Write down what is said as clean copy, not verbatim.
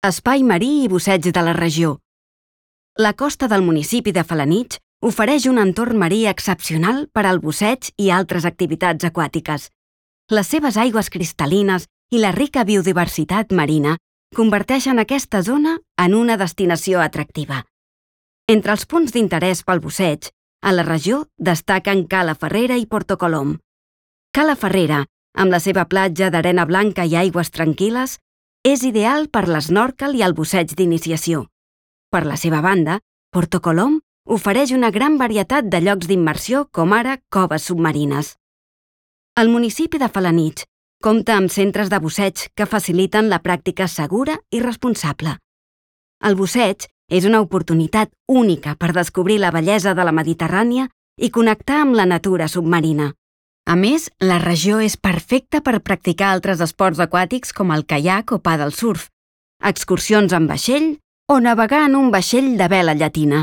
Espai marí i busseig de la regió. La costa del municipi de Felanitx ofereix un entorn marí excepcional per al busseig i altres activitats aquàtiques. Les seves aigües cristal·lines i la rica biodiversitat marina converteixen aquesta zona en una destinació atractiva. Entre els punts d'interès pel busseig, a la regió destaquen Cala Ferrera i Porto Colom. Cala Ferrera, amb la seva platja d'arena blanca i aigües tranquil·les, és ideal per l'esnòrquel i el busseig d'iniciació. Per la seva banda, Porto Colom ofereix una gran varietat de llocs d'immersió com ara coves submarines. El municipi de Felanitx compta amb centres de busseig que faciliten la pràctica segura i responsable. El busseig és una oportunitat única per descobrir la bellesa de la Mediterrània i connectar amb la natura submarina. A més, la regió és perfecta per practicar altres esports aquàtics com el caiac o paddle surf, excursions en vaixell o navegar en un vaixell de vela llatina.